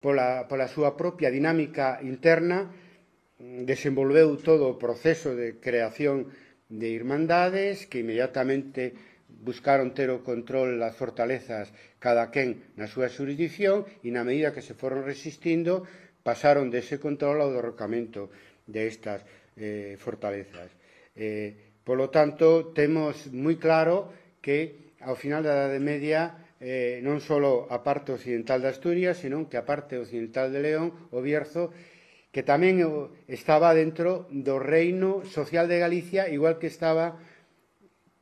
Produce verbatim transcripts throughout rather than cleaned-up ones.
pola, pola súa propia dinámica interna, desenvolveu todo o proceso de creación de irmandades que inmediatamente buscaron ter o control das fortalezas cada quen na súa xurisdicción e na medida que se foron resistindo pasaron dese control ao derrocamento destas eh, fortalezas. Eh, polo tanto, temos moi claro que ao final da Idade Media eh, non só a parte occidental de Asturias, senón que a parte occidental de León, o Bierzo, que tamén estaba dentro do reino social de Galicia, igual que estaba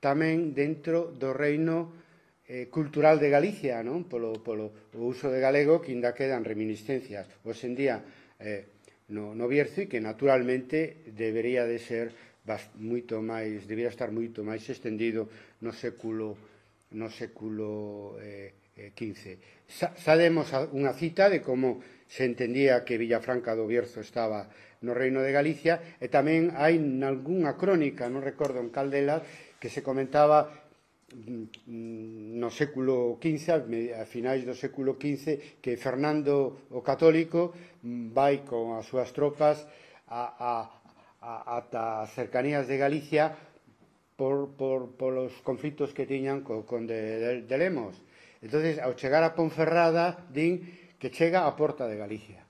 tamén dentro do reino eh, cultural de Galicia, non? Polo, polo o uso de galego, que ainda quedan reminiscencias hoxe en día eh, no, no Bierzo, e que naturalmente debería de ser bast, moito máis, debería estar moito máis extendido no século no século eh, quince. Sa, sabemos unha cita de como se entendía que Villafranca do Bierzo estaba no reino de Galicia, e tamén hai nalgúnha crónica, non recordo en cal delas, que se comentaba no século quince, a finais do século quince, que Fernando o Católico vai con as súas tropas a, a, a, ata as cercanías de Galicia por, por, por os conflitos que tiñan co conde de, de Lemos. Entonces, ao chegar a Ponferrada, din que chega á porta de Galicia.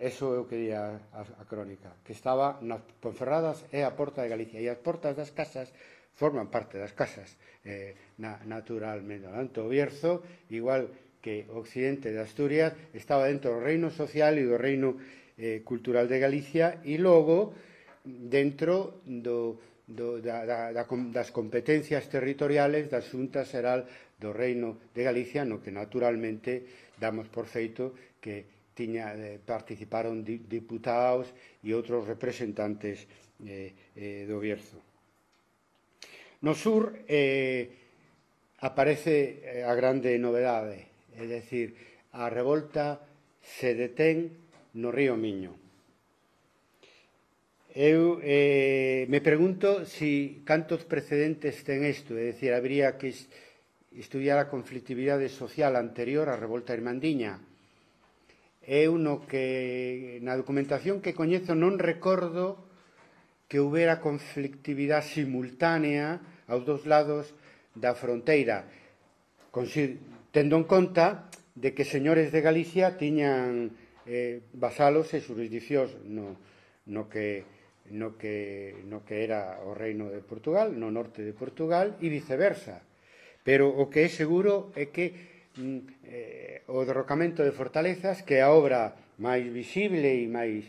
Eso é o que di a, a, a crónica, que estaba nas Ponferradas e a porta de Galicia, e as portas das casas forman parte das casas eh, na, naturalmente. Tanto o Bierzo, igual que o occidente de Asturias, estaba dentro do reino social e do reino eh, cultural de Galicia, e logo dentro do, do, da, da, das competencias territoriales da Xunta Xeral do reino de Galicia, no que naturalmente damos por feito que tiña, eh, participaron di, diputados e outros representantes eh, eh, do Bierzo. No sur eh, aparece a grande novedade, é dicir, a revolta se detén no río Miño. Eu eh, me pregunto si cantos precedentes ten isto, é dicir, habría que estudiar a conflictividade social anterior á revolta irmandiña. Eu no que na documentación que coñezo non recordo que houbera conflictividade simultánea aos dous lados da fronteira, tendo en conta de que señores de Galicia tiñan eh, vasalos e jurisdiccións no, no, que, no, que, no que era o reino de Portugal, no norte de Portugal, e viceversa. Pero o que é seguro é que mm, eh, o derrocamento de fortalezas, que é a obra máis visible e máis,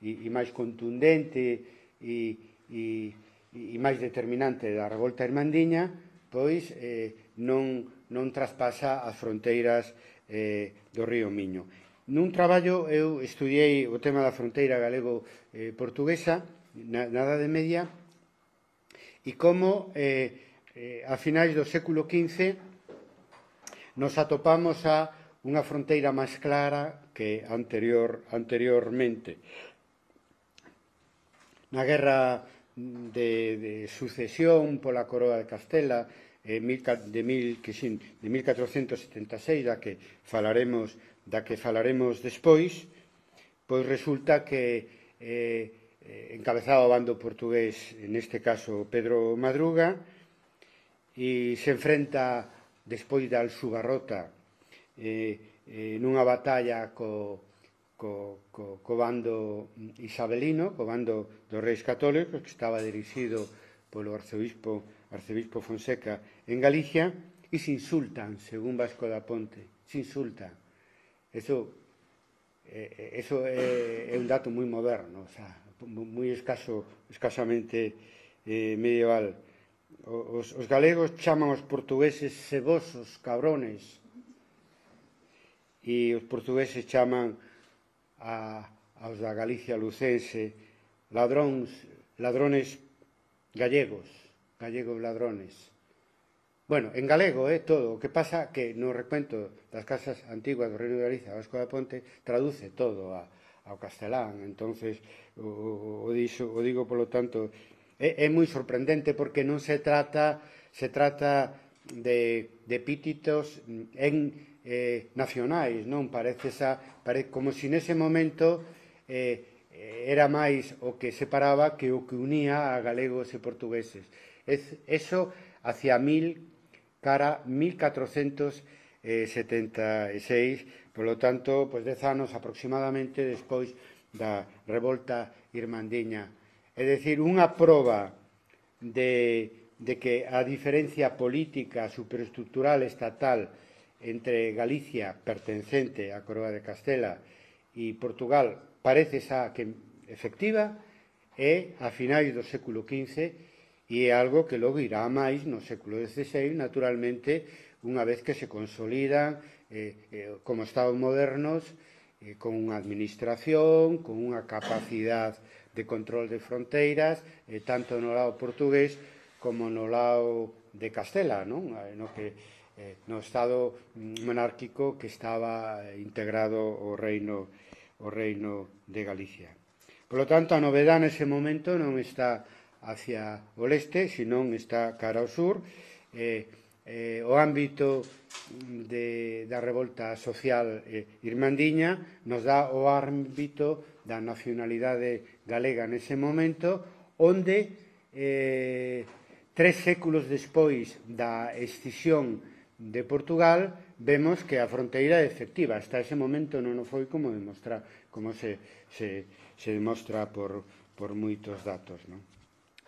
e, e máis contundente e, e, e máis determinante da revolta irmandiña, pois eh, non, non traspasa as fronteiras eh, do río Miño. Nun traballo eu estudiei o tema da fronteira galego-portuguesa na, na Idade Media, e como eh, eh, a finais do século quince nos atopamos a unha fronteira máis clara que anterior, anteriormente. Na guerra de, de sucesión pola coroa de Castela eh, de, mil, que, sí, de mil catrocentos setenta e seis, da que falaremos, da que falaremos despois, pois resulta que eh, encabezaba o bando portugués, neste caso Pedro Madruga, e se enfrenta despois da Alxubarrota eh, eh, nunha batalla co, co, co, co bando isabelino, co bando dos reis católicos, que estaba dirixido polo arcebispo, arcebispo Fonseca en Galicia, e se insultan, según Vasco da Ponte, se insultan. Eso, eh, eso é, é un dato moi moderno, o sea, moi escaso, escasamente eh, medieval. Os, os galegos chaman os portugueses cebosos, cabrones, e os portugueses chaman a, aos da Galicia lucense ladróns, ladrones gallegos, gallegos ladrones. Bueno, en galego, eh, todo. O que pasa que no recuento das casas antiguas do Reino de Galicia, Vasco da Ponte, traduce todo a, ao castelán. Entonces, o, o, dixo, o digo, polo tanto, é, é moi sorprendente porque non se trata, se trata de, de epítetos en eh, nacionais, non? Parece, esa, parece como se nese momento eh, era máis o que separaba que o que unía a galegos e portugueses. Es, eso hacia mil, cara mil catrocentos setenta e seis, polo tanto, pois dez anos aproximadamente despois da revolta irmandiña. É dicir, unha proba de, de que a diferencia política superestructural estatal entre Galicia, pertencente á Coroa de Castela, e Portugal, parece xa que efectiva, é a finais do século quince e é algo que logo irá máis no século dieciséis, naturalmente, unha vez que se consolidan eh, eh, como Estados modernos, eh, con unha administración, con unha capacidade de control de fronteiras, eh, tanto no lado portugués como no lado de Castela, non? No que Eh, no estado monárquico que estaba integrado o reino, o reino de Galicia. Por lo tanto, a novedade nese momento non está hacia o leste, senón está cara ao sur. Eh, eh, o ámbito de, da revolta social eh, irmandiña nos dá o ámbito da nacionalidade galega nese momento, onde eh, tres séculos despois da escisión de Portugal, vemos que a fronteira é efectiva. Hasta ese momento non foi como demostra, como se, se, se demostra por, por moitos datos, non?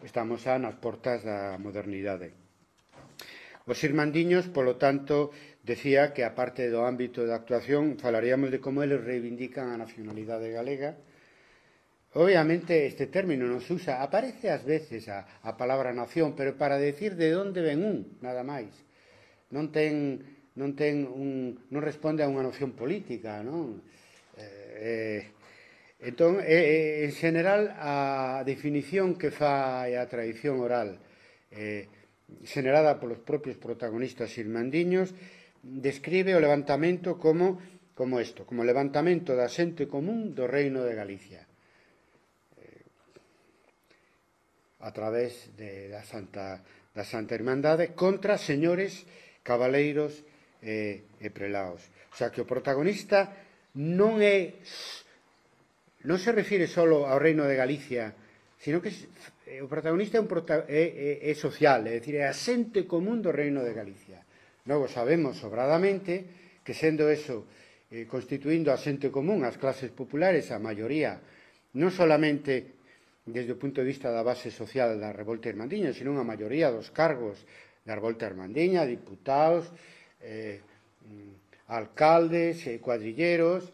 Estamos xa nas portas da modernidade. Os irmandiños, polo tanto, decía que, aparte do ámbito de actuación, falaríamos de como eles reivindican a nacionalidade galega. Obviamente, este término non se usa, aparece ás veces a, a palabra nación, pero para decir de onde ven un, nada máis. Non ten, non ten un, non responde a unha noción política, non? Eh, entón, eh, en general, a definición que fai a tradición oral eh, generada polos propios protagonistas irmandiños describe o levantamento como, como isto, como levantamento da xente común do Reino de Galicia eh, a través de, da, Santa, da Santa Irmandade contra señores cabaleiros e, e prelaos. O sea, que o protagonista non é, non se refire só ao Reino de Galicia, sino que o protagonista é, un prota, é, é, é social, é dicir, é a xente común do Reino de Galicia. Logo sabemos sobradamente que, sendo eso, eh, constituindo a xente común, as clases populares, a maioría, non solamente desde o punto de vista da base social da revolta irmandiña, sino a maioría dos cargos da revolta irmandiña, diputados, eh, alcaldes, eh, cuadrilleros,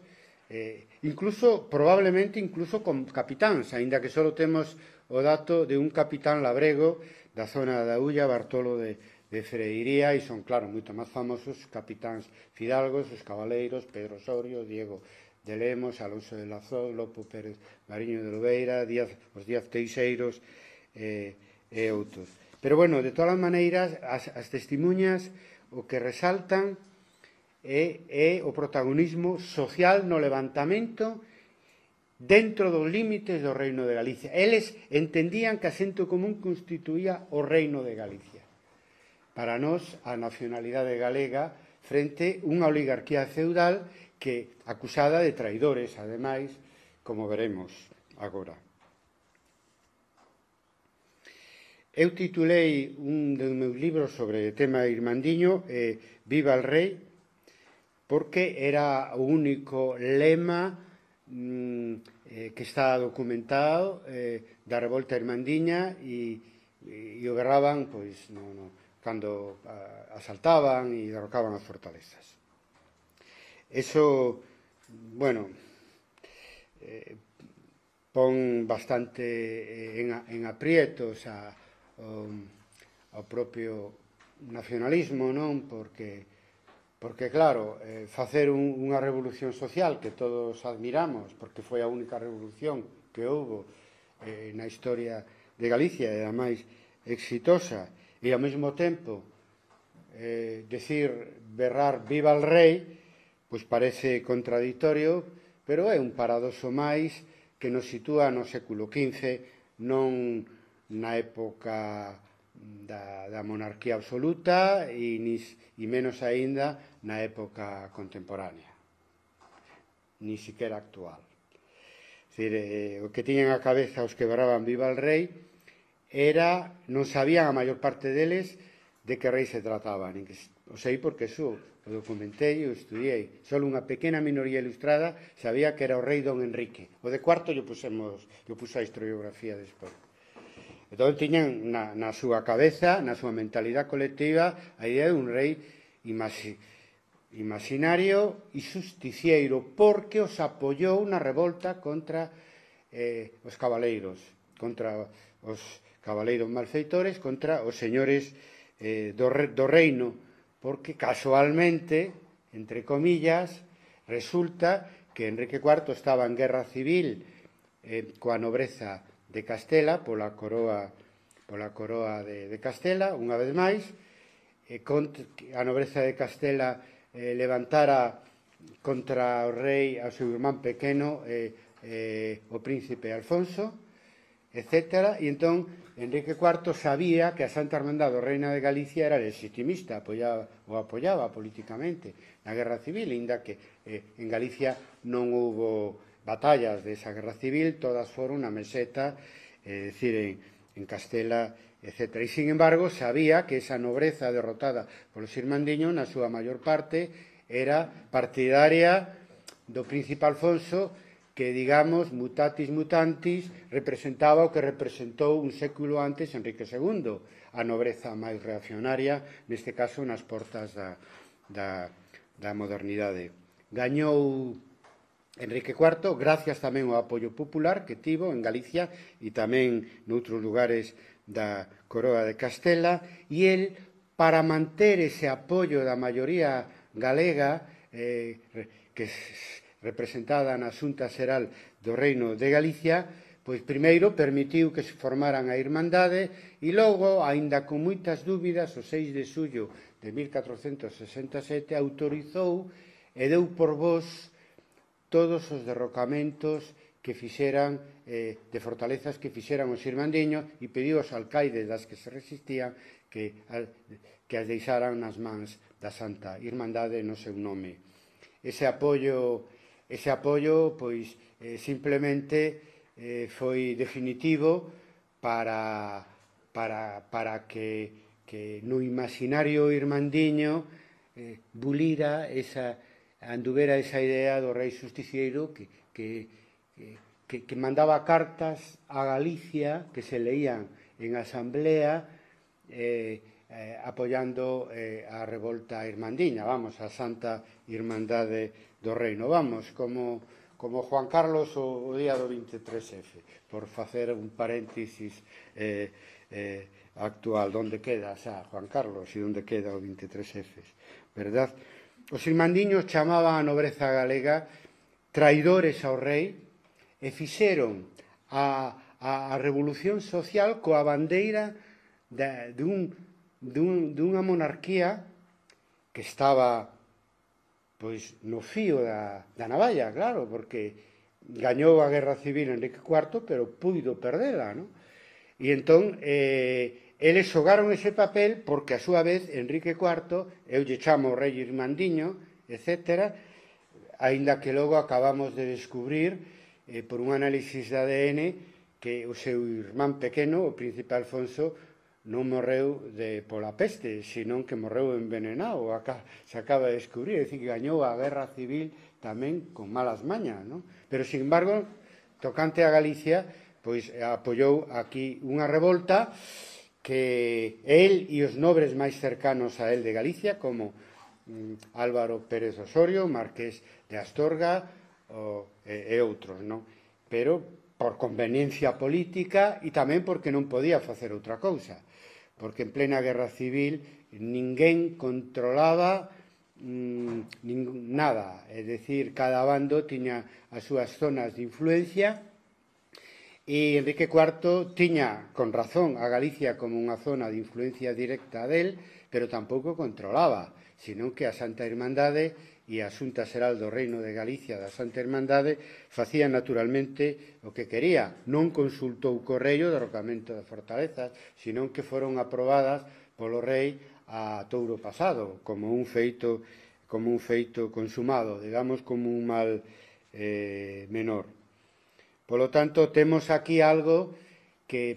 eh, incluso, probablemente, incluso con capitáns, aínda que só temos o dato de un capitán labrego da zona da Ulla, Bartolo de, de Freiría, e son, claro, moito máis famosos capitáns fidalgos, os cabaleiros, Pedro Osorio, Diego de Lemos, Alonso de Lazó, Lopo Pérez Mariño de Lobeira, Díaz, os Díaz Teixeiros eh, e outros. Pero, bueno, de todas as maneiras, as, as testimuñas o que resaltan é, é o protagonismo social no levantamento dentro dos límites do Reino de Galicia. Eles entendían que a xente común constituía o Reino de Galicia. Para nós, a nacionalidade galega frente a unha oligarquía feudal que acusada de traidores, ademais, como veremos agora. Eu titulei un dos meus libros sobre o tema irmandiño eh, Viva el Rei, porque era o único lema mm, eh, que está documentado eh, da revolta irmandiña e, e, e o guerraban pois, no, no, cando a, asaltaban e derrocaban as fortalezas. Eso, bueno, eh, pon bastante en, en aprietos a O, ao propio nacionalismo, non? Porque, porque claro, eh, facer un, unha revolución social que todos admiramos, porque foi a única revolución que houbo eh, na historia de Galicia e a máis exitosa, e ao mesmo tempo eh, decir, berrar viva el rei, pois parece contradictorio, pero é un paradoxo máis que nos sitúa no século quince, non na época da, da monarquía absoluta e, nis, e menos aínda na época contemporánea, ni siquiera actual. É dicir, eh, o que tiñan a cabeza os que berraban viva el rei era, non sabían a maior parte deles de que rei se trataba, nin que, o sei porque eso o documentei e o estudiei. Só unha pequena minoría ilustrada sabía que era o rei don Enrique. O de cuarto yo pusemos, yo puse a historiografía despois. Entón tiñan na, na súa cabeza, na súa mentalidade colectiva, a idea de un rei imagi, imaginario e justiciero, porque os apoiou na revolta contra eh, os cabaleiros, contra os cabaleiros malfeitores, contra os señores eh, do, re, do reino, porque casualmente, entre comillas, resulta que Enrique cuarto estaba en guerra civil eh, coa nobreza de Castela, pola coroa, pola coroa de, de Castela, unha vez máis, eh, contra, a nobreza de Castela eh, levantara contra o rei, ao seu irmán pequeno, eh, eh, o príncipe Alfonso, etcétera, e entón Enrique cuarto sabía que a Santa Hermandade do Reino de Galicia era legitimista, apoyaba, o apoyaba políticamente na guerra civil, inda que eh, en Galicia non houbo batallas desa guerra civil, todas foron na meseta, é eh, dicir, en, en Castela, etcétera. E, sin embargo, sabía que esa nobreza derrotada polos irmandiños, na súa maior parte, era partidaria do príncipe Alfonso, que, digamos, mutatis mutantis, representaba o que representou un século antes Enrique segundo, a nobreza máis reaccionaria, neste caso nas portas da, da, da modernidade. Gañou Enrique cuarto, gracias tamén ao apoio popular que tivo en Galicia e tamén noutros lugares da coroa de Castela, e el, para manter ese apoio da maioría galega, eh, que representada na Xunta Xeral do Reino de Galicia, pois primeiro permitiu que se formaran a Irmandade e logo, aínda con moitas dúbidas, o seis de xullo de mil catrocentos sesenta e sete autorizou e deu por vos todos os derrocamentos que fixeran, eh, de fortalezas que fixeran os irmandiños, e pediu aos alcaides das que se resistían que, que as deixaran nas mans da Santa Irmandade no seu nome. Ese apoio, ese apoio pois, eh, simplemente eh, foi definitivo para, para, para que, que no imaginario irmandiño eh, bulira esa, anduvera esa idea do rei justiciero que, que Que, que mandaba cartas a Galicia que se leían en asamblea eh, eh, apoyando eh, a revolta irmandiña, vamos, a Santa Irmandade do Reino, vamos, como, como Juan Carlos o, o día do vinte e tres efe, por facer un paréntesis eh, eh, actual, donde queda xa Juan Carlos e onde queda o vinte e tres efe, verdad? Os irmandiños chamaban a nobreza galega traidores ao rei, e fixeron a, a, a revolución social coa bandeira de, de, un, de, un, de unha monarquía que estaba pois no fío da, da navalla, claro, porque gañou a guerra civil Enrique cuarto, pero puido perdela, non? E entón, eh, eles xogaron ese papel porque, a súa vez, Enrique cuarto, eu lle chamo o rei irmandiño, etcétera, aínda que logo acabamos de descubrir Eh, por un análisis de A D N que o seu irmán pequeno, o príncipe Alfonso, non morreu de, pola peste, senón que morreu envenenado, acá, se acaba de descubrir, é dicir, que gañou a guerra civil tamén con malas mañas, non? Pero, sin embargo, tocante a Galicia, pois apoiou aquí unha revolta que el e os nobres máis cercanos a el de Galicia, como mm, Álvaro Pérez Osorio, marqués de Astorga, O, e, e outros, non? Pero por conveniencia política e tamén porque non podía facer outra cousa, porque en plena guerra civil ninguén controlaba mmm, nin, nada, é dicir, cada bando tiña as súas zonas de influencia e Enrique cuarto tiña, con razón, a Galicia como unha zona de influencia directa del, pero tampouco controlaba, senón que a Santa Irmandade e a Xunta Xeral do Reino de Galicia da Santa Irmandade facía naturalmente o que quería. Non consultou co rei o derrocamento das fortalezas, senón que foron aprobadas polo rei a touro pasado, como un feito, como un feito consumado, digamos, como un mal eh, menor. Polo tanto, temos aquí algo que é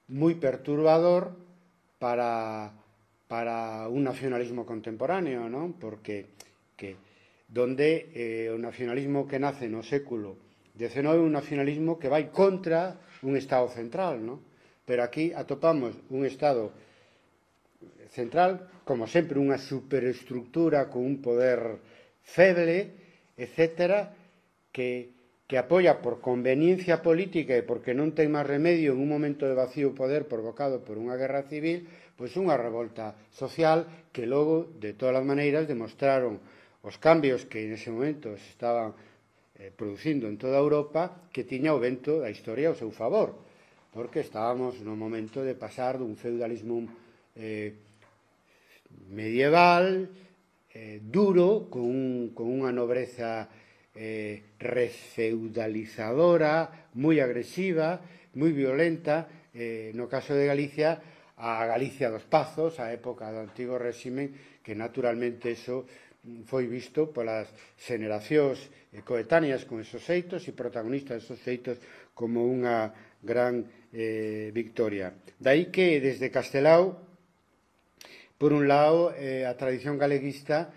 moi perturbador para, para un nacionalismo contemporáneo, non? Porque que donde eh, o nacionalismo que nace no século dezenove é un nacionalismo que vai contra un Estado central, non? Pero aquí atopamos un Estado central, como sempre, unha superestructura con un poder feble, etcétera, que, que apoia por conveniencia política e porque non ten máis remedio en un momento de vacío poder provocado por unha guerra civil, pois unha revolta social que logo, de todas as maneiras, demostraron os cambios que nese momento se estaban eh, producindo en toda Europa, que tiña o vento da historia ao seu favor, porque estábamos no momento de pasar dun feudalismo eh, medieval, eh, duro, con, un, con unha nobreza eh, refeudalizadora, moi agresiva, moi violenta, eh, no caso de Galicia, a Galicia dos Pazos, a época do antigo réxime, que naturalmente eso foi visto polas xeneracións coetáneas con esos feitos e protagonistas desos feitos como unha gran eh, victoria. Daí que desde Castelao, por un lado, eh, a tradición galeguista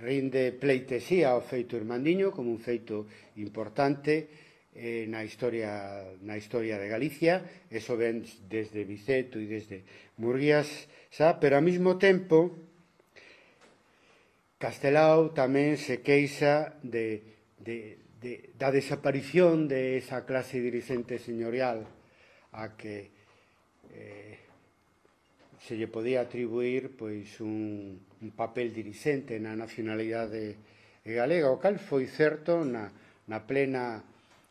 rinde pleitesía ao feito irmandiño como un feito importante eh, na historia na historia de Galicia. Eso ven desde Biceto e desde Murguías, xa, pero ao mesmo tempo Castelao tamén se queixa de, de, de, da desaparición de esa clase dirigente señorial a que eh, se lle podía atribuir pois un, un papel dirixente na nacionalidade galega, o cal foi certo na, na plena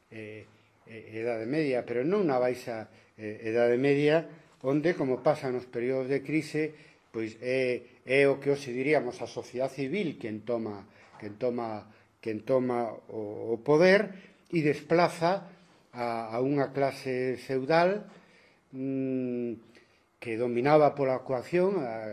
eh, Edade Media, pero non na baixa eh, Edade Media, onde, como pasa nos períodos de crise, pois é, é o que hoxe diríamos a sociedade civil quen toma, quen toma, quen toma o, o poder e desplaza a, a unha clase feudal mmm, que dominaba pola coacción a,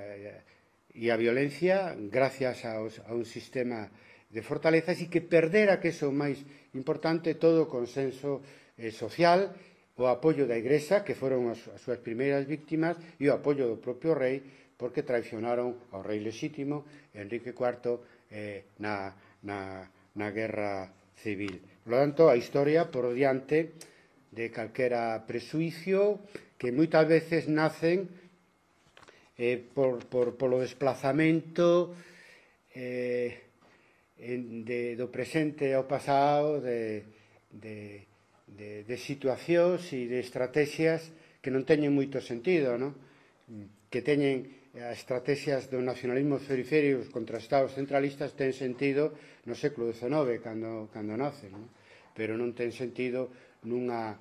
e a violencia gracias aos, a un sistema de fortalezas e que perdera, que é o máis importante, todo o consenso eh, social, o apoio da Igrexa, que foron as, as súas primeiras víctimas, e o apoio do propio rei, porque traicionaron ao rei lexítimo, Enrique cuarto, eh, na, na, na guerra civil. Por lo tanto, a historia, por diante de calquera presuicio, que moitas veces nacen eh, por, por, polo desplazamento eh, en, de, do presente ao pasado, de, de, de, de situacións e de estrategias que non teñen moito sentido, non? Que teñen as estrategias do nacionalismo periféricos contra estados centralistas ten sentido no século dezenove, cando, cando nacen, non? Pero non ten sentido nunha,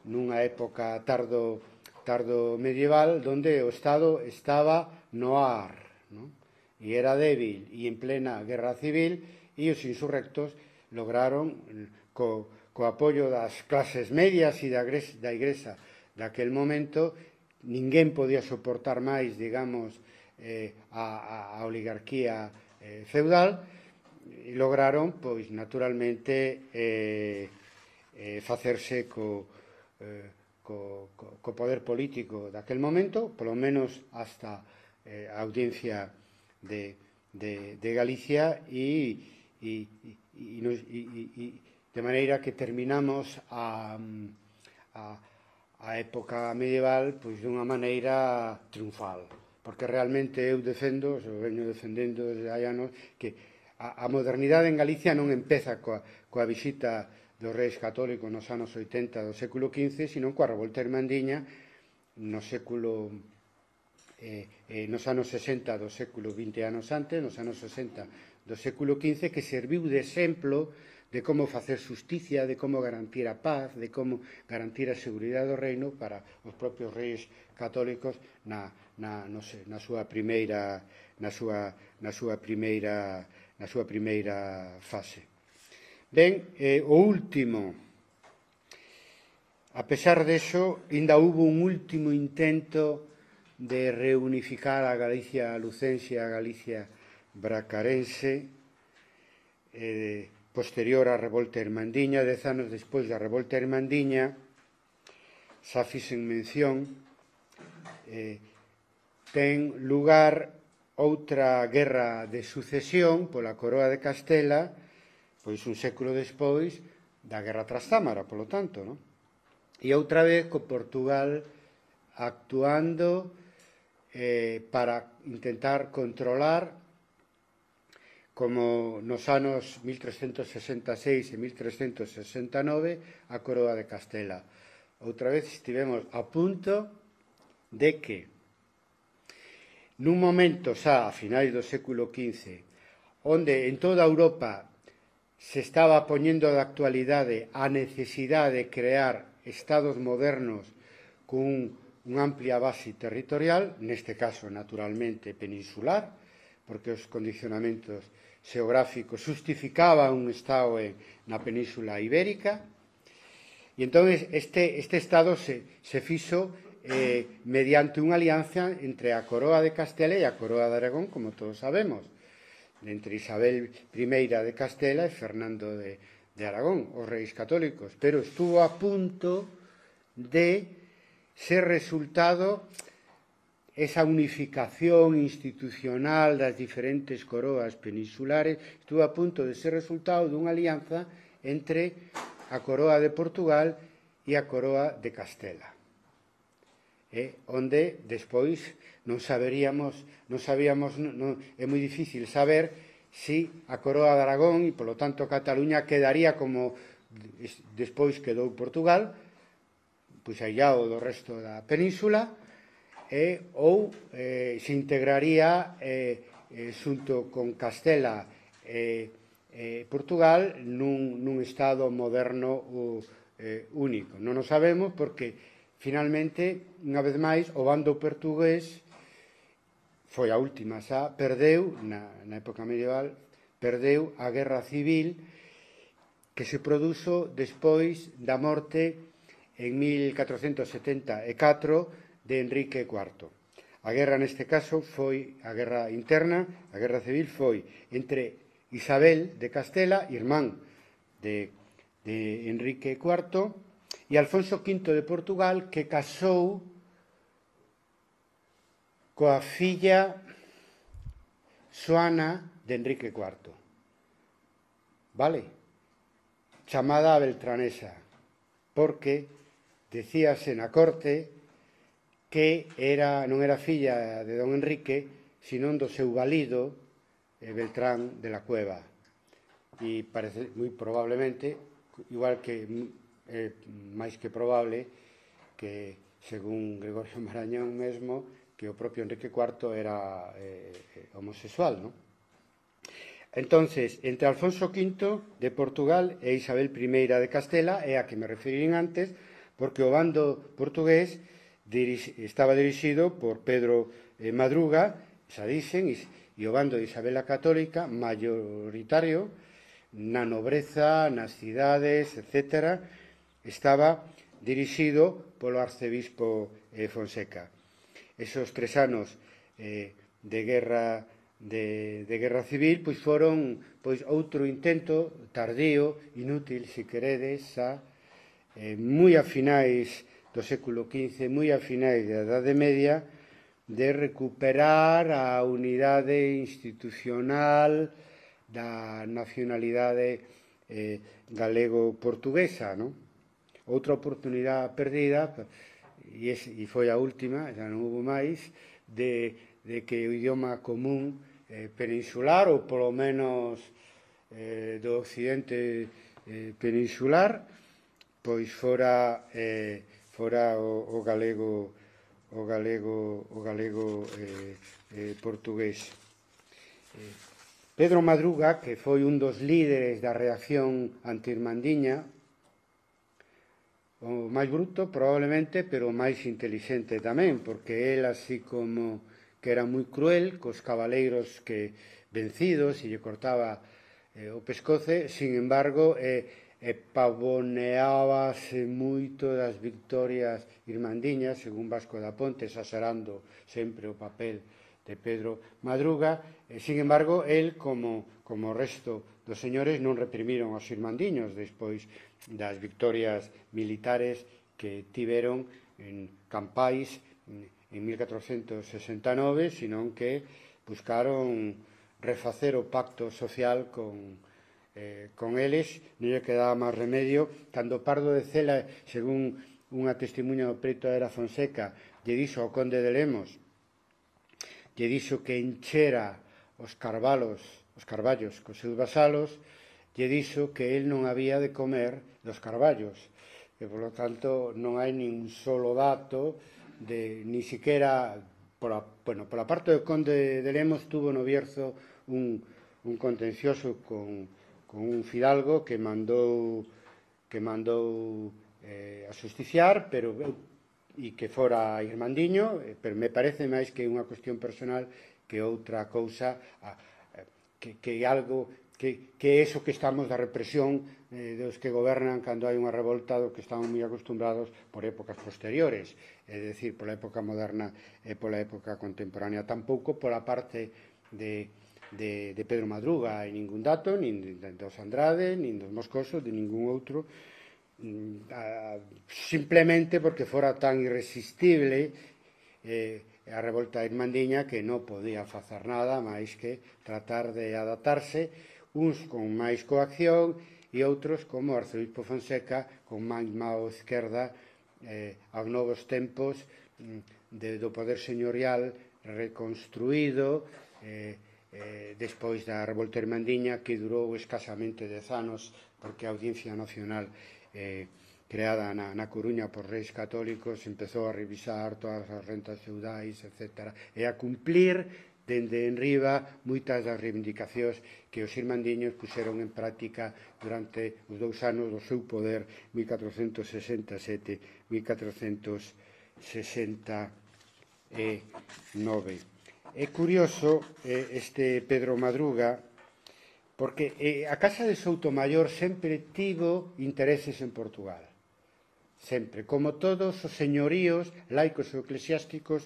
nunha época tardo, tardo medieval, donde o Estado estaba no ar, non? E era débil, e en plena guerra civil, e os insurrectos lograron, co, co apoio das clases medias e da, da Igrexa daquel momento, ninguén podía soportar máis, digamos, eh, a, a oligarquía eh, feudal, e lograron, pois, naturalmente, eh, eh, facerse co, eh, co, co, co poder político daquel momento, polo menos hasta eh, a audiencia de, de, de Galicia, e, e, e, e, e, de maneira que terminamos a, a a época medieval pois dunha maneira triunfal, porque realmente eu defendo, eu veño defendendo desde hai anos, que a, a modernidade en Galicia non empeza coa, coa visita dos reis católicos nos anos oitenta do século quince, sino coa revolta irmandiña no século eh, eh, nos anos sesenta do século vinte anos antes, nos anos sesenta do século quince, que serviu de exemplo de como facer justicia, de como garantir a paz, de como garantir a seguridade do reino para os propios reis católicos na, na, no sé, na súa primeira na súa, na súa primeira na súa primeira fase. Ben, eh, o último, a pesar deso, ainda hubo un último intento de reunificar a Galicia lucense e a Galicia bracarense, eh, posterior á revolta irmandiña. Dez anos despois da revolta irmandiña, xa fixen mención, eh, ten lugar outra guerra de sucesión pola coroa de Castela, pois un século despois da guerra trastámara, polo tanto, non? E outra vez co Portugal actuando eh, para intentar controlar, como nos anos mil trescentos sesenta e seis e mil trescentos sesenta e nove, a coroa de Castela. Outra vez estivemos a punto de que, nun momento xa a finais do século quince, onde en toda Europa se estaba poñendo de actualidade a necesidade de crear estados modernos con unha amplia base territorial, neste caso, naturalmente, peninsular, porque os condicionamentos xeográficos justificaban un estado na península ibérica, e entón este, este estado se, se fixo eh, mediante unha alianza entre a coroa de Castela e a coroa de Aragón, como todos sabemos, entre Isabel primeira de Castela e Fernando de, de Aragón, os reis católicos, pero estuvo a punto de ser resultado esa unificación institucional das diferentes coroas peninsulares, estuvo a punto de ser resultado dunha alianza entre a coroa de Portugal e a coroa de Castela, eh, onde despois non saberíamos, non sabíamos, non, é moi difícil saber si a coroa de Aragón e, polo tanto, Cataluña quedaría como despois quedou Portugal, pois allado do resto da península, eh, ou eh, se integraría eh, eh, xunto con Castela e eh, Portugal nun, nun estado moderno o, eh, único. Non o sabemos porque, finalmente, unha vez máis, o bando portugués foi a última xa, perdeu, na, na época medieval, perdeu a guerra civil que se produzo despois da morte en mil catrocentos setenta e catro de Enrique cuarto. A guerra neste caso foi a guerra interna, a guerra civil foi entre Isabel de Castela, irmán de, de Enrique cuarto, e Alfonso quinto de Portugal, que casou coa filla Xoana de Enrique cuarto, vale? Chamada a Beltranesa, porque decíase na corte que era, non era filla de don Enrique, sino do seu valido, eh, Beltrán de la Cueva. E parece moi probablemente, igual que é eh, máis que probable, que, según Gregorio Marañón mesmo, que o propio Enrique cuarto era eh, homosexual, non? Entonces, entre Alfonso quinto de Portugal e Isabel primeira de Castela, é a que me referín antes, porque o bando portugués dirix, estaba dirixido por Pedro eh, Madruga, xa dicen, e, e o bando de Isabel a Católica, mayoritario, na nobreza, nas cidades, etcétera, estaba dirixido polo arcebispo eh, Fonseca. Esos tres anos eh, de guerra de, de guerra civil pois foron pois outro intento tardío, inútil, se queredes, xa, eh, moi a finais do século quince, moi a finais da Idade Media, de recuperar a unidade institucional da nacionalidade eh, galego-portuguesa, non? Outra oportunidade perdida, e, es, e foi a última, xa non houve máis, de, de que o idioma común eh, peninsular, ou polo menos eh, do occidente eh, peninsular, pois fora, eh, fora o, o galego o galego o galego eh, eh, portugués. Eh, Pedro Madruga, que foi un dos líderes da reacción anti-irmandiña, o máis bruto probablemente, pero o máis intelixente tamén, porque el, así como que era moi cruel cos cabaleiros que vencido, se lle cortaba eh, o pescoce, sin embargo, eh, e pavoneábase moito das victorias irmandiñas, según Vasco da Ponte, exagerando sempre o papel de Pedro Madruga. E, sin embargo, el, como, como o resto dos señores, non reprimiron os irmandiños despois das victorias militares que tiveron en Campais en mil catrocentos sesenta e nove, senón que buscaron refacer o pacto social con Eh, con eles. Non lle quedaba máis remedio cando Pardo de Cela, según unha testimuña do preto Era Fonseca, lle dixo ao conde de Lemos, lle dixo que enchera os carvalos, os carballos cos seus vasalos, lle dixo que el non había de comer dos carballos, e polo tanto non hai nin solo dato de, ni siquiera pola, bueno, pola parte do conde de Lemos tuvo no Bierzo un, un contencioso con con un fidalgo que mandou que mandou eh, a justiciar, pero e que fora irmandiño, pero me parece máis que unha cuestión personal que outra cousa, que, que algo que, que eso que estamos da represión eh, dos que gobernan cando hai unha revolta do que estamos moi acostumbrados por épocas posteriores, é dicir, pola época moderna e pola época contemporánea, tampouco pola parte de De, de Pedro Madruga, hai ningún dato, nin dos Andrade, nin dos Moscoso, de ningún outro, simplemente porque fora tan irresistible eh, a revolta irmandiña que non podía facer nada máis que tratar de adaptarse, uns con máis coacción e outros como o arcebispo Fonseca con máis mao esquerda eh, aos novos tempos de, do poder señorial reconstruído eh, Eh, despois da revolta irmandiña, que durou escasamente dez anos, porque a Audiencia Nacional eh, creada na, na Coruña por reis católicos empezou a revisar todas as rentas feudais, etcétera, e a cumplir dende enriba moitas das reivindicacións que os irmandiños puxeron en práctica durante os dous anos do seu poder, mil catrocentos sesenta e sete a mil catrocentos sesenta e nove. É curioso eh, este Pedro Madruga, porque eh, a Casa de Soutomaior sempre tivo intereses en Portugal. Sempre, como todos os señoríos laicos ou eclesiásticos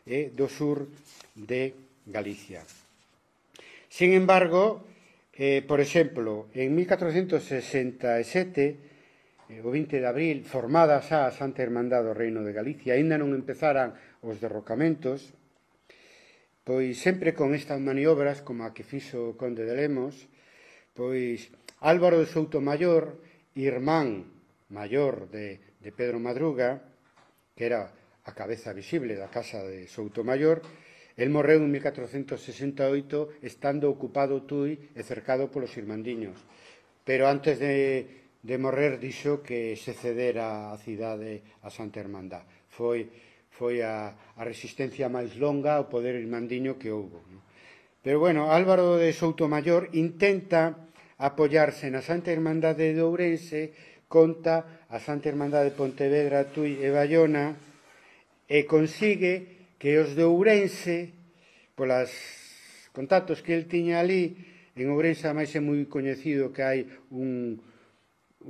eh, do sur de Galicia. Sin embargo, eh, por exemplo, en mil catrocentos sesenta e sete, eh, o vinte de abril, formada xa a Santa Irmandade do Reino de Galicia, aínda non empezaran os derrocamentos, pois sempre con estas maniobras, como a que fixo o conde de Lemos, pois Álvaro de Soutomaior, irmán maior de, de Pedro Madruga, que era a cabeza visible da casa de Soutomaior, el morreu en mil catrocentos sesenta e oito estando ocupado Tui e cercado polos irmandiños. Pero antes de, de morrer dixo que se cedera a cidade a Santa Irmandad. Foi foi a, a resistencia máis longa ao poder irmandiño que houbo. Pero, bueno, Álvaro de Soutomaior intenta apoiarse na Santa Irmandade de Ourense, conta a Santa Irmandade de Pontevedra, Tui e Bayona, e consigue que os de Ourense, polas contactos que el tiña ali, en Ourense máis é moi coñecido que hai un,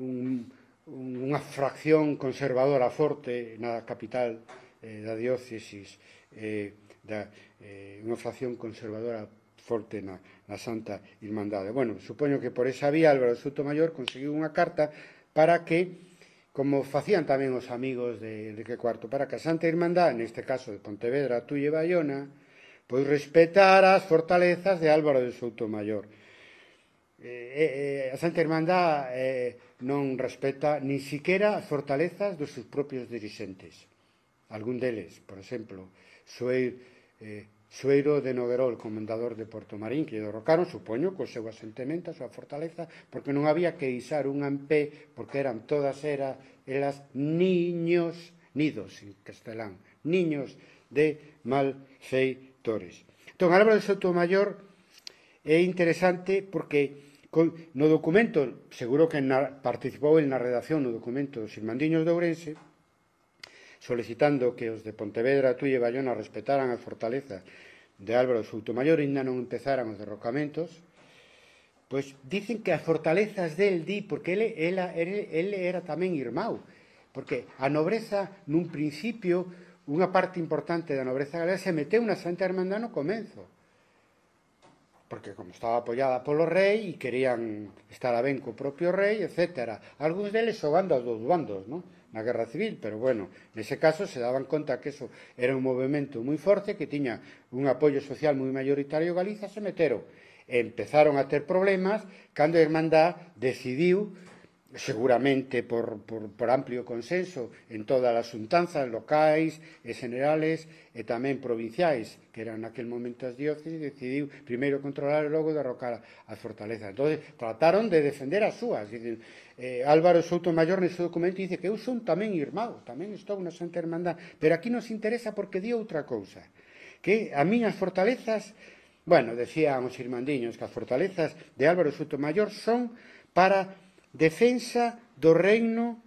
un, unha fracción conservadora forte na capital da diócesis, eh, da, eh, unha fracción conservadora forte na, na Santa Irmandade. Bueno, supoño que por esa vía Álvaro de Soutomaior conseguiu unha carta para que, como facían tamén os amigos de Enrique cuarto, para que a Santa Irmandade, neste caso de Pontevedra, Tui e Bayona, pois respetara as fortalezas de Álvaro de Soutomaior. Eh, eh, a Santa Irmandade eh, non respeta nin siquiera as fortalezas dos seus propios dirixentes. Algún deles, por exemplo, Sueiro, eh, Sueiro de Noguerol, comendador de Porto Marín, que derrocaron, supoño, co seu asentamento, a súa fortaleza, porque non había que isar un ampé, porque eran todas era, elas niños, nidos en castelán, niños de malfeitores. Entón, Álvaro de Soutomaior é interesante porque no documento, seguro que na, participou na redacción no documento dos Irmandiños de Ourense, solicitando que os de Pontevedra, Tui e Bayona respetaran as fortalezas de Álvaro de Soutomayor, ainda non empezaran os derrocamentos, pois dicen que as fortalezas del di, porque ele, ela, ele, ele era tamén irmão, porque a nobreza, nun principio, unha parte importante da nobreza galega se meteu na Santa Hermandad no comenzo, porque como estaba apoiada polo rei e querían estar a ben co propio rei, etcétera. Algúns deles xogando aos dous bandos, non? Na Guerra Civil, pero bueno, nese caso se daban conta que eso era un movimento moi forte, que tiña un apoio social moi mayoritario en Galiza, se meteron. E empezaron a ter problemas cando a Irmandad decidiu, seguramente por, por, por amplio consenso en todas as xuntanzas locais e generales e tamén provinciais, que eran naquel momento as dióceses, decidiu primeiro controlar e logo derrocar as fortalezas. Entón, trataron de defender as súas. Dicen, eh, Álvaro Soutomayor nese documento dice que eu son tamén irmão, tamén estou na Santa Hermandad, pero aquí nos interesa porque di outra cousa, que a miñas fortalezas, bueno, decían os irmandiños que as fortalezas de Álvaro Soutomayor son para defensa do reino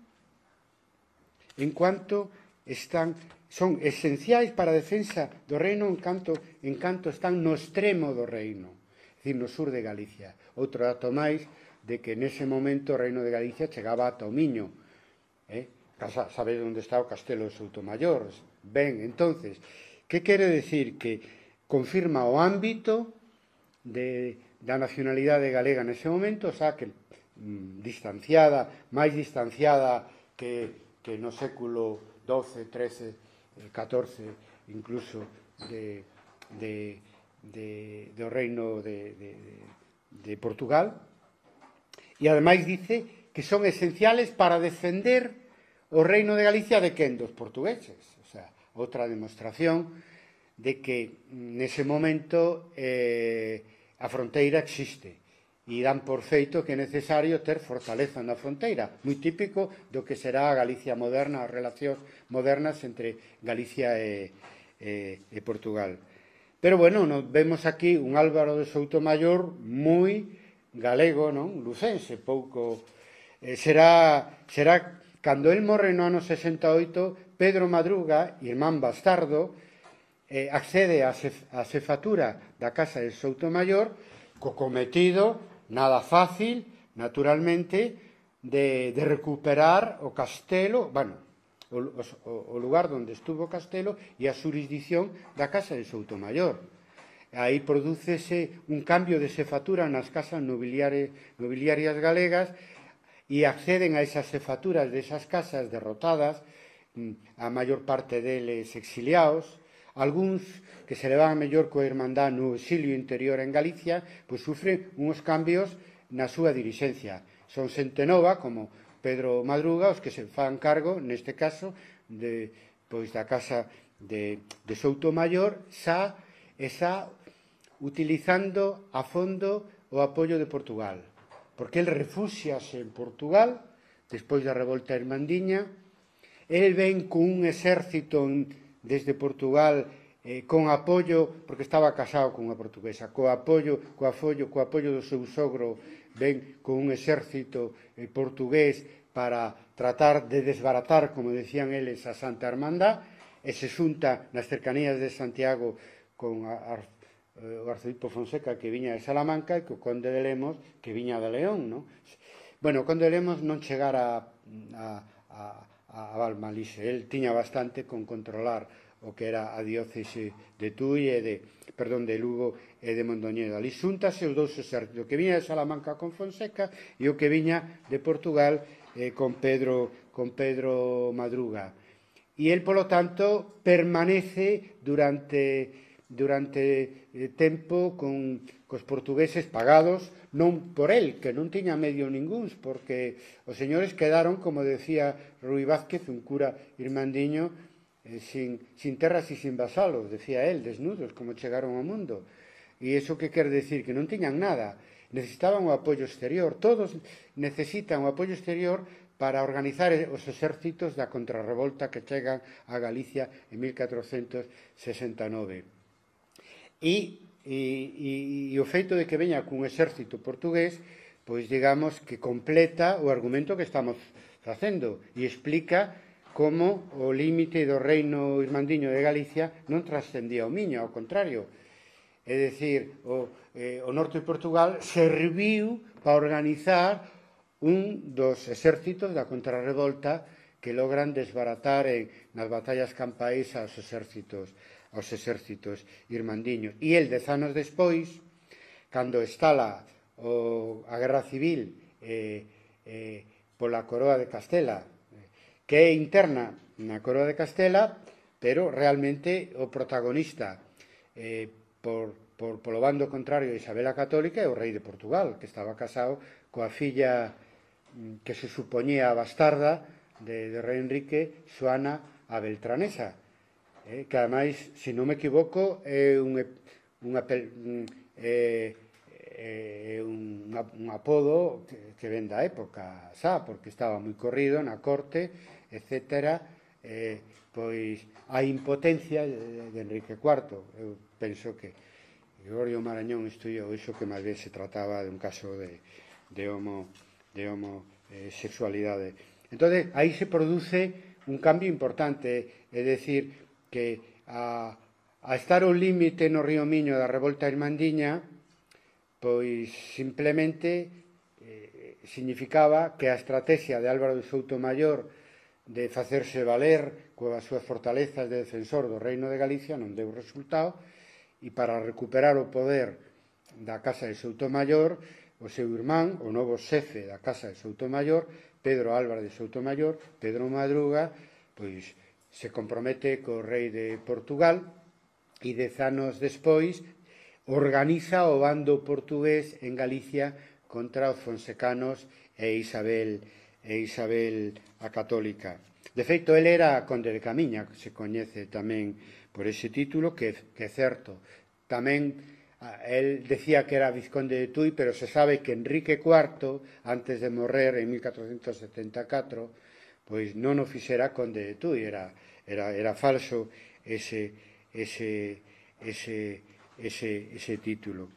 en cuanto están, son esenciais para a defensa do reino en canto, en canto están no extremo do reino, é dicir, no sur de Galicia. Outro dato máis de que nese momento o reino de Galicia chegaba ata o Miño. Eh? Sabedes onde está o castelo de Soutomayor? Ben, entonces, que quere decir? Que confirma o ámbito de, da nacionalidade galega nese momento, xa que distanciada, máis distanciada que, que no século doce, trece, catorce, incluso de, de, de, do reino de, de, de Portugal, e ademais dice que son esenciales para defender o reino de Galicia de quen? Dos portugueses. O sea, outra demostración de que nese momento eh, a fronteira existe. E dan por feito que é necesario ter fortaleza na fronteira, moi típico do que será a Galicia moderna, as relacións modernas entre Galicia e, e, e Portugal. Pero, bueno, nos vemos aquí un Álvaro de Soutomayor moi galego, non? Lucense, pouco... Eh, será, será, cando el morre no ano sesenta e oito, Pedro Madruga, irmán bastardo, eh, accede a, cef, a cefatura da casa de Soutomayor co cometido nada fácil, naturalmente, de, de recuperar o castelo, bueno, o, o, o lugar onde estuvo o castelo e a xurisdicción da casa de Soutomayor. Aí prodúcese un cambio de cefatura nas casas nobiliarias, nobiliarias galegas e acceden a esas cefaturas desas casas derrotadas, a maior parte deles exiliados, algúns que se levan a mellor coa Irmandad no exilio interior en Galicia, pois sufren uns cambios na súa dirixencia. Son xente nova, como Pedro Madruga, os que se fan cargo, neste caso, de, pois da casa de, de Soutomayor, xa, e xa utilizando a fondo o apoio de Portugal. Porque el refúxiase en Portugal, despois da revolta irmandiña, el ven con un exército desde Portugal eh, con apoio, porque estaba casado con unha portuguesa, co apoio, co apoio, co apoio do seu sogro, ven con un exército eh, portugués para tratar de desbaratar, como decían eles, a Santa Hermandad, e se xunta nas cercanías de Santiago con a, a, o arzobispo Fonseca, que viña de Salamanca, e co conde de Lemos, que viña de León, non? Bueno, o conde de Lemos non chegara a, a a Valmalixe. El tiña bastante con controlar o que era a diócese de Tui e de, perdón, de Lugo e de Mondoñedo. Ali xúntase os dous exércitos, o que viña de Salamanca con Fonseca e o que viña de Portugal eh, con Pedro con Pedro Madruga. E el, polo tanto, permanece durante durante eh, tempo con cos portugueses pagados non por el, que non tiña medio ningúns, porque os señores quedaron, como decía Rui Vázquez, un cura irmandiño, eh, sin, sin terras e sin vasalos, decía él, desnudos, como chegaron ao mundo. E iso que quer decir? Que non tiñan nada, necesitaban o apoio exterior, todos necesitan o apoio exterior para organizar os exércitos da contrarrevolta que chegan a Galicia en mil catrocentos sesenta e nove. E E, e, e o feito de que veña cun exército portugués, pois digamos que completa o argumento que estamos facendo e explica como o límite do reino irmandiño de Galicia non trascendía o Miño, ao contrario, é dicir, o, eh, o norte de Portugal serviu para organizar un dos exércitos da contrarrevolta que logran desbaratar en, nas batallas campais aos exércitos, aos exércitos irmandiños. E el, dez anos despois, cando estala o, a Guerra Civil eh, eh, pola Coroa de Castela, que é interna na Coroa de Castela, pero realmente o protagonista eh, por, por, polo bando contrario de Isabel a Católica é o rei de Portugal, que estaba casado coa filla que se supoñía bastarda de, de rei Enrique, Xoana a Beltranesa, eh, que ademais, se non me equivoco, é un, un, é, é un, un apodo que, que ven da época xa, porque estaba moi corrido na corte, etcétera. Eh, pois a impotencia de, de Enrique cuarto. Eu penso que Gregorio Marañón estudiou iso, que máis ben se trataba de un caso de, de homo de homosexualidade. Entón, aí se produce un cambio importante, é dicir, que a, a estar ao límite no río Miño da revolta irmandiña, pois simplemente eh, significaba que a estrategia de Álvaro de Soutomayor de facerse valer coas súas fortalezas de defensor do Reino de Galicia non deu resultado, e para recuperar o poder da Casa de Soutomayor, o seu irmán, o novo xefe da Casa de Soutomayor, Pedro Álvarez de Soutomayor, Pedro Madruga, pois se compromete co rei de Portugal e dez anos despois organiza o bando portugués en Galicia contra os fonsecanos e Isabel, e Isabel a Católica. De feito, ele era conde de Camiña, que se coñece tamén por ese título, que, que é certo. Tamén el decía que era vizconde de Tui, pero se sabe que Enrique cuarto, antes de morrer en mil catrocentos setenta e catro, pois non o fixera conde de Tui, era, era, era falso ese, ese, ese, ese, ese título.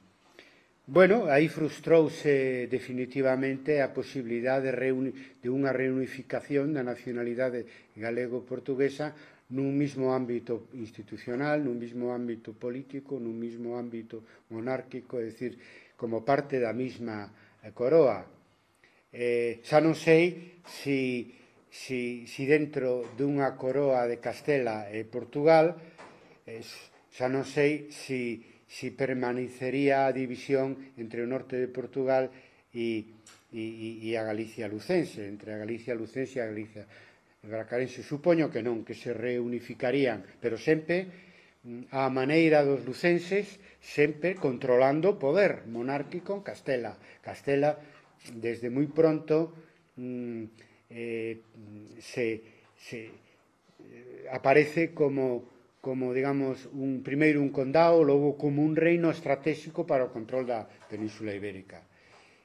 Bueno, aí frustrouse definitivamente a posibilidade de, reuni de unha reunificación da nacionalidade galego-portuguesa nun mismo ámbito institucional, nun mismo ámbito político, nun mismo ámbito monárquico, é dicir, como parte da mesma coroa. Eh, xa non sei si, si, si dentro dunha coroa de Castela e Portugal, eh, xa non sei si, si permanecería a división entre o norte de Portugal e, e, e a Galicia lucense, entre a Galicia lucense e a Galicia bracarense. Supoño que non, que se reunificarían, pero sempre a maneira dos lucenses, sempre controlando o poder monárquico en Castela. Castela, desde moi pronto, eh, se, se eh, aparece como, como, digamos, un primeiro un condado, logo como un reino estratégico para o control da Península Ibérica.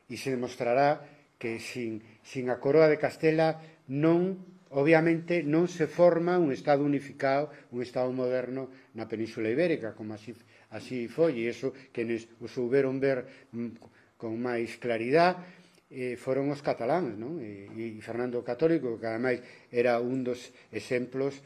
E se demostrará que sin, sin a coroa de Castela non obviamente non se forma un Estado unificado, un Estado moderno na Península Ibérica, como así, así foi, e iso que nos o souberon ver con máis claridade eh, foron os cataláns, non? E, e Fernando o Católico, que ademais era un dos exemplos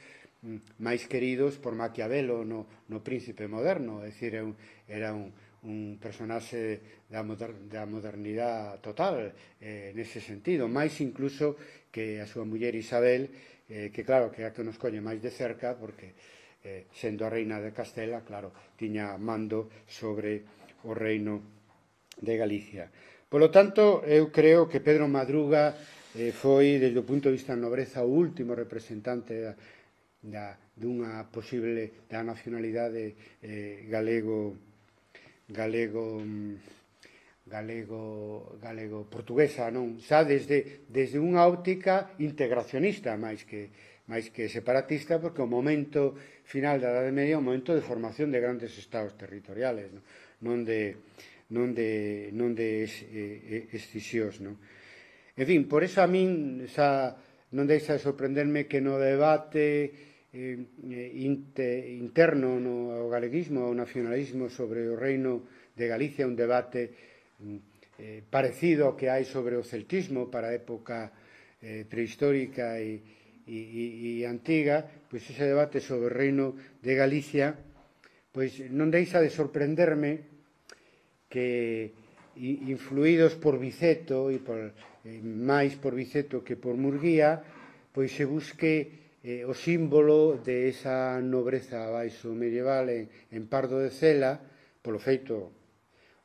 máis queridos por Maquiavelo no, no Príncipe Moderno, é dicir, era un, un personaxe da, moder, da modernidade total eh, nese sentido, máis incluso que a súa muller Isabel, eh, que claro, que é a que nos coñe máis de cerca, porque eh, sendo a reina de Castela, claro, tiña mando sobre o reino de Galicia. Polo tanto, eu creo que Pedro Madruga eh, foi, desde o punto de vista da nobreza, o último representante da, da, dunha posible da nacionalidade eh, galego galego galego galego portuguesa, non? Xa desde, desde unha óptica integracionista máis que, máis que separatista, porque o momento final da Edade Media é un momento de formación de grandes estados territoriales, non, non de, non de, non de escisións, non? En fin, por eso a min xa non deixa de sorprenderme que no debate eh, inter, interno no galeguismo ou nacionalismo sobre o reino de Galicia, un debate eh, parecido ao que hai sobre o celtismo para a época eh, prehistórica e, e, e antiga, pois ese debate sobre o reino de Galicia pois non deixa de sorprenderme que, influídos por Viceto, e por, eh, máis por Viceto que por Murguía, pois se busque eh, o símbolo de esa nobreza baixo medieval en, en Pardo de Cela, polo feito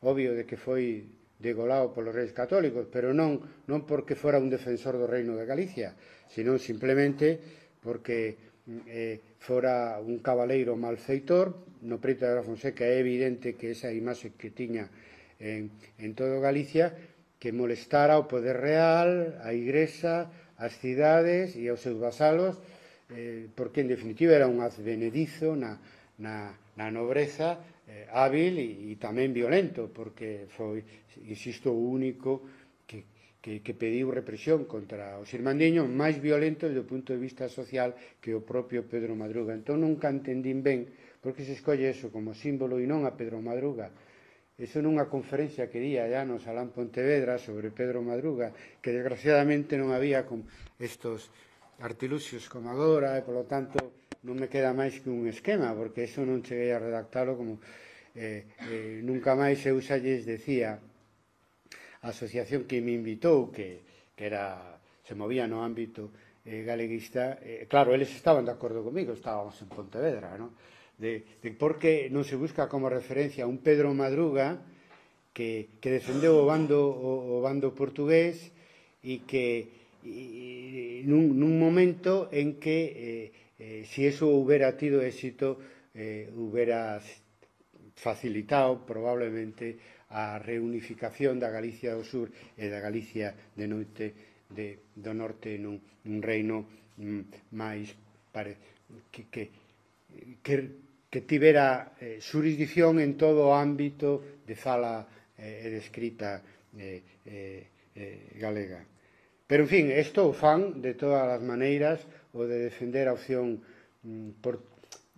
obvio de que foi degolado polos reis católicos, pero non, non porque fora un defensor do reino de Galicia, senón simplemente porque eh, fora un cabaleiro malfeitor. No preito de la Fonseca é evidente que esa imaxe que tiña en, en todo Galicia, que molestara ao poder real, a Igrexa, as cidades e aos seus vasalos, eh, porque en definitiva era un advenedizo na, na, na nobreza, eh, hábil e, e tamén violento, porque foi, insisto, o único que, que, que pediu represión contra os irmandiños, máis violento desde o punto de vista social que o propio Pedro Madruga. Entón nunca entendín ben por que se escolle eso como símbolo e non a Pedro Madruga. Eso nunha conferencia que día ya no Salán Pontevedra sobre Pedro Madruga, que desgraciadamente non había con estos artiluxios como agora, e polo tanto non me queda máis que un esquema, porque eso non cheguei a redactalo como eh, eh, nunca máis eu xa lles decía a asociación que me invitou, que, que era, se movía no ámbito eh, galeguista, eh, claro, eles estaban de acordo comigo, estábamos en Pontevedra, non? De, de por que non se busca como referencia un Pedro Madruga que, que defendeu o bando, o, o bando portugués e que e, nun, nun momento en que eh, eh, si eso hubiera tido éxito eh, hubiera facilitado probablemente a reunificación da Galicia do Sur e da Galicia de noite de, do norte nun, nun reino mm, máis pare, que, que, que que tivera eh, xurisdicción en todo o ámbito de fala eh, e de escrita eh, eh, eh, galega. Pero, en fin, isto o fan de todas as maneiras, o de defender a opción, mm, por,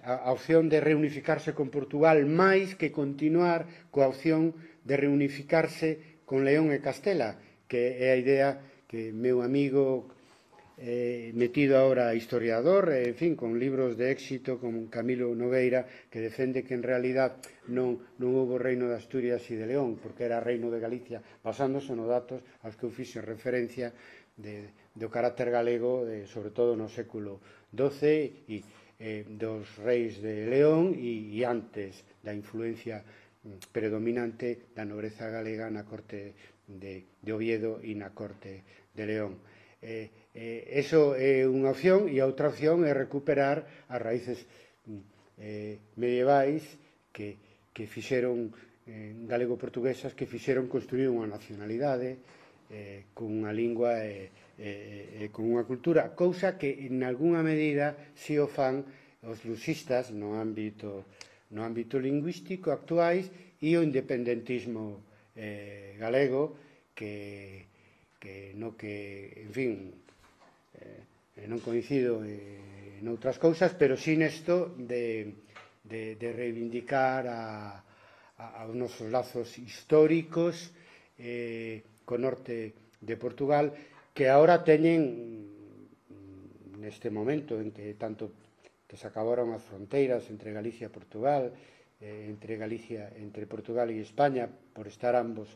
a, a opción de reunificarse con Portugal, máis que continuar coa opción de reunificarse con León e Castela, que é a idea que meu amigo Eh, metido ahora historiador, eh, en fin, con libros de éxito como Camilo Nogueira, que defende que en realidad non, non houve reino de Asturias e de León, porque era reino de Galicia, basándose nos datos aos que eu fixen referencia de, do carácter galego, de, sobre todo no século doce, e eh, dos reis de León e, e antes da influencia predominante da nobreza galega na corte de, de Oviedo e na corte de León. Eh, eh, eso é unha opción, e a outra opción é recuperar as raíces eh, medievais que, que fixeron eh, galego-portuguesas, que fixeron construir unha nacionalidade eh, con unha lingua e eh, eh, con unha cultura, cousa que en algunha medida si o fan os lusistas no ámbito, no ámbito lingüístico actuais e o independentismo eh, galego que que no que, en fin, eh, non coincido eh, en outras cousas, pero sí nesto de, de, de reivindicar a, a, aos nosos lazos históricos eh, co norte de Portugal, que agora teñen, neste momento en que tanto que se acabaron as fronteiras entre Galicia e Portugal, eh, entre Galicia, entre Portugal e España, por estar ambos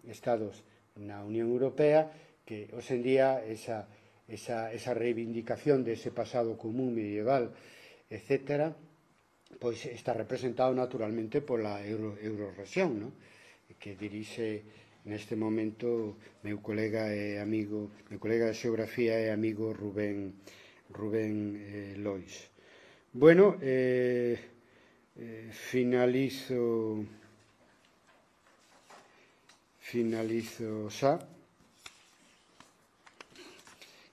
estados na Unión Europea, que hoxe en día esa, esa, esa reivindicación dese pasado común medieval, etcétera, pois está representado naturalmente pola Euro, Eurorrexión, ¿no? Que dirixe neste momento meu colega e amigo, meu colega de xeografía e amigo Rubén, Rubén eh, Lois. Bueno, eh, eh, finalizo... Finalizo xa.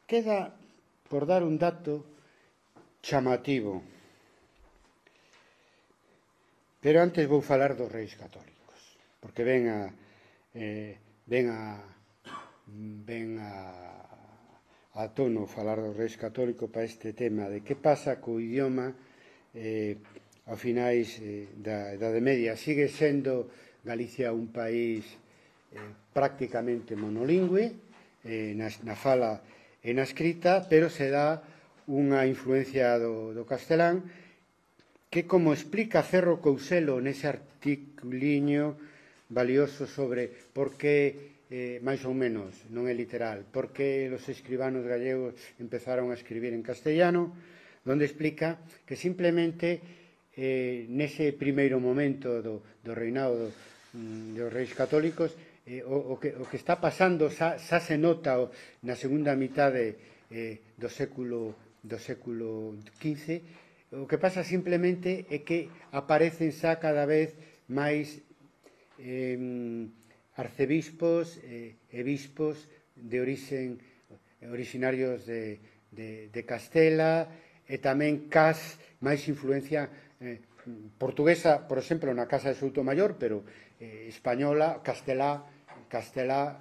Queda por dar un dato chamativo. Pero antes vou falar dos reis católicos, porque ven a eh, ven a ven a a tono falar dos reis católicos para este tema de que pasa co idioma eh, a finais eh, da Idade Media. Sigue sendo Galicia un país Eh, prácticamente monolingüe eh, na, na fala e na escrita, pero se dá unha influencia do, do castelán que, como explica Cerro Couselo nese articuliño valioso sobre por que, eh, máis ou menos, non é literal, por que os escribanos gallegos empezaron a escribir en castellano, onde explica que simplemente eh, nese primeiro momento do, do reinado do, dos reis católicos, eh, o, o, que, o que está pasando xa, xa se nota o, na segunda mitade eh, do século do século quince. O que pasa simplemente é que aparecen xa cada vez máis eh, arcebispos eh, e bispos de orixen orixinarios de, de, de Castela, e tamén cas máis influencia eh, portuguesa, por exemplo, na Casa de Soutomaior, pero eh, española, castelá, castelá,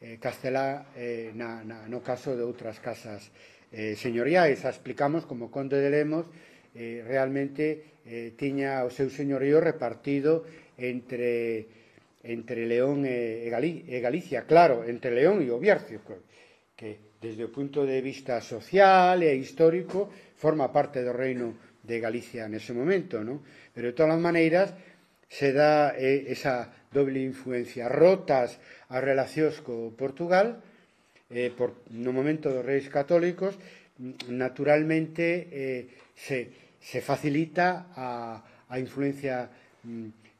eh, castelá eh, na, na, no caso de outras casas eh, señoriais. A explicamos como Conde de Lemos eh, realmente eh, tiña o seu señorío repartido entre, entre León e, e, Gali, e Galicia, claro, entre León e o Bierzo, que desde o punto de vista social e histórico forma parte do reino de Galicia nese momento, non? Pero de todas as maneiras se dá eh, esa doble influencia, rotas as relacións co Portugal eh, por, no momento dos reis católicos, naturalmente eh, se, se facilita a, a influencia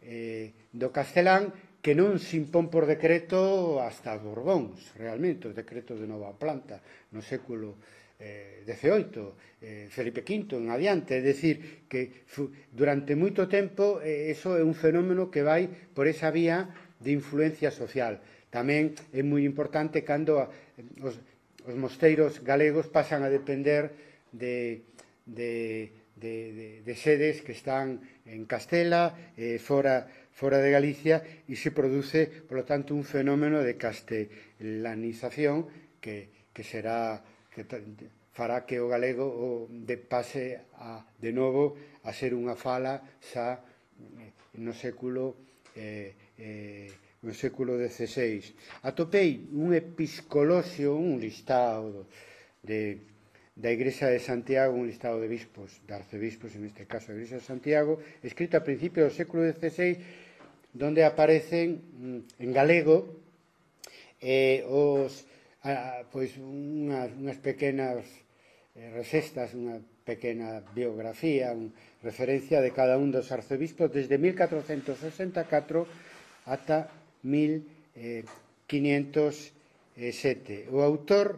eh, do castelán, que non se impón por decreto hasta os Borbóns, realmente, os decretos de nova planta no século eh, dezioito, eh, Felipe quinto en adiante, é dicir, que durante moito tempo eh, eso é un fenómeno que vai por esa vía de influencia social. Tamén é moi importante cando a, os, os mosteiros galegos pasan a depender de, de, de, de, de sedes que están en Castela, eh, fora fora de Galicia, e se produce, por lo tanto, un fenómeno de castelanización que, que será que fará que o galego o de pase a, de novo a ser unha fala xa no século eh, eh, no século dezseis. Atopei un episcoloxio, un listado de da Igrexa de Santiago, un listado de bispos, de arcebispos, en este caso a Igrexa de Santiago, escrito a principios do século dezseis, donde aparecen en galego eh, os, a, pois unhas, unhas pequenas eh, resestas, unha pequena biografía, unha referencia de cada un dos arcebispos desde mil catrocentos sesenta e catro ata mil quinientos sete. O autor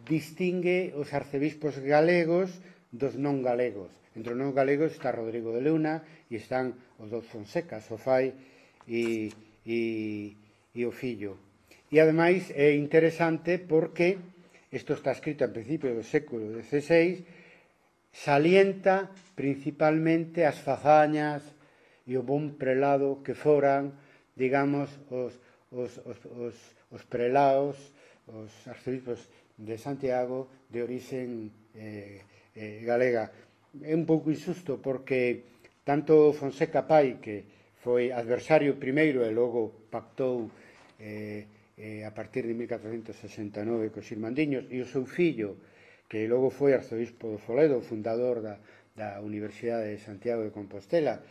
distingue os arcebispos galegos dos non galegos. Entre os non galegos está Rodrigo de Luna e están os dous Fonsecas, o fai e, e, e o fillo. E, ademais, é interesante porque isto está escrito a principios do século dezseis, salienta principalmente as fazañas e o bon prelado que foran, digamos, os, os, os, os, os prelados, os arcebispos de Santiago de orixen eh, eh, galega. É un pouco injusto porque tanto Fonseca pai, que foi adversario primeiro e logo pactou eh, eh, a partir de mil catrocentos sesenta e nove cos irmandiños, e o seu fillo, que logo foi arzobispo de Foledo, fundador da, da Universidade de Santiago de Compostela,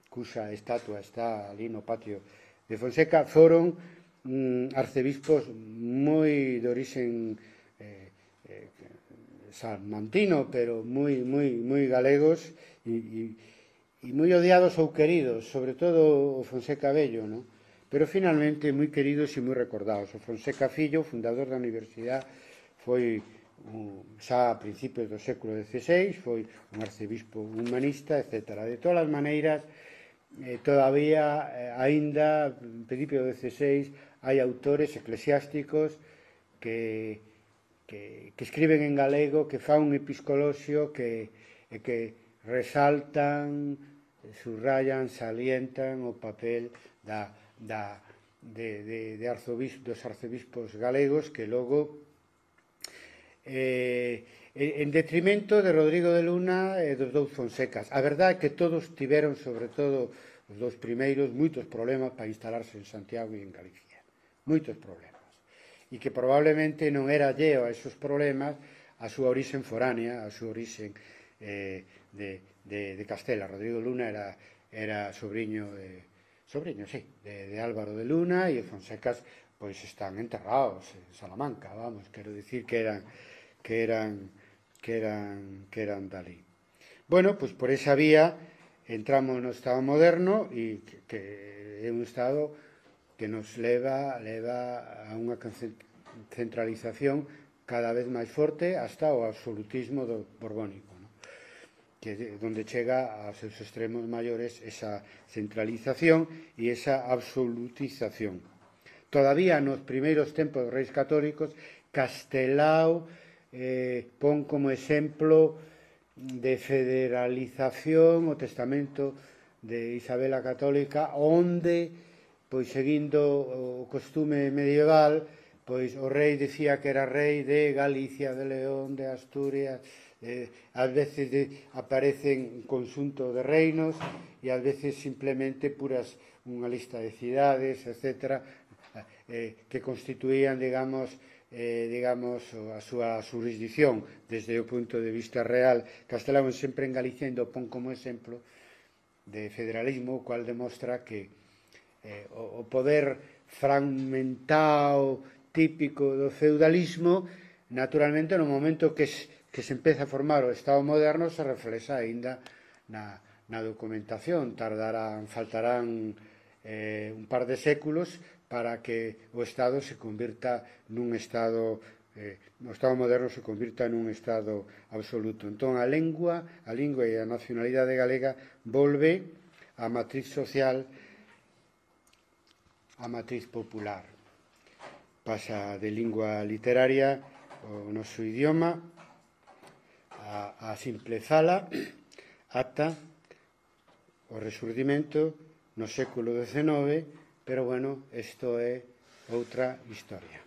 cuxa estatua está ali no patio de Fonseca, foron mm, arcebispos moi de orixen Eh, eh, salmantino, pero moi, moi, moi galegos e, e, e moi odiados ou queridos, sobre todo o Fonseca Bello, ¿no? Pero finalmente moi queridos e moi recordados. O Fonseca Fillo, fundador da Universidade, foi um, xa a principios do século dezseis, foi un arcebispo humanista, etcétera. De todas as maneiras, eh, todavía, eh, aínda, en principio do dezseis, hai autores eclesiásticos que Que, que escriben en galego, que fan un episcoloxio que, que resaltan, subrayan, salientan o papel da, da, de, de, de arzobispo, dos arcebispos galegos, que logo, eh, en detrimento de Rodrigo de Luna e dos dous Fonsecas. A verdade é que todos tiveron, sobre todo os dous primeiros, moitos problemas para instalarse en Santiago e en Galicia. Moitos problemas. E que probablemente non era alleo a esos problemas a súa orixen foránea, a súa orixen eh, de, de, de Castela. Rodrigo Luna era, era sobrinho de, sobrinho, sí, de, de Álvaro de Luna, e os Fonsecas pois están enterrados en Salamanca, vamos, quero dicir que eran que eran que eran que eran dali. Bueno, pois por esa vía entramos no Estado moderno e que, que é un Estado que nos leva leva a unha centralización cada vez máis forte hasta o absolutismo do borbónico, ¿no? Que donde chega aos seus extremos maiores esa centralización e esa absolutización. Todavía nos primeiros tempos dos reis católicos, Castelao eh, pon como exemplo de federalización o testamento de Isabel a Católica, onde, pois seguindo o costume medieval, pois o rei dicía que era rei de Galicia, de León, de Asturias, eh, ás veces de, aparecen un conxunto de reinos e ás veces simplemente puras unha lista de cidades, etcétera, eh, que constituían, digamos, eh, digamos, a súa jurisdicción desde o punto de vista real. Castelao sempre en Galicia o pon como exemplo de federalismo, o cual demostra que eh, o, o poder fragmentado típico do feudalismo, naturalmente no momento que se, que se empeza a formar o Estado moderno se reflexa aínda na, na documentación. Tardarán, faltarán eh, un par de séculos para que o Estado se convirta nun Estado, eh, o Estado moderno se convirta nun Estado absoluto. Entón, a lengua, a lingua e a nacionalidade galega volve á matriz social, a matriz popular. Pasa de lingua literaria o noso idioma a, a simple fala ata o resurdimento no século dezenove, pero, bueno, isto é outra historia.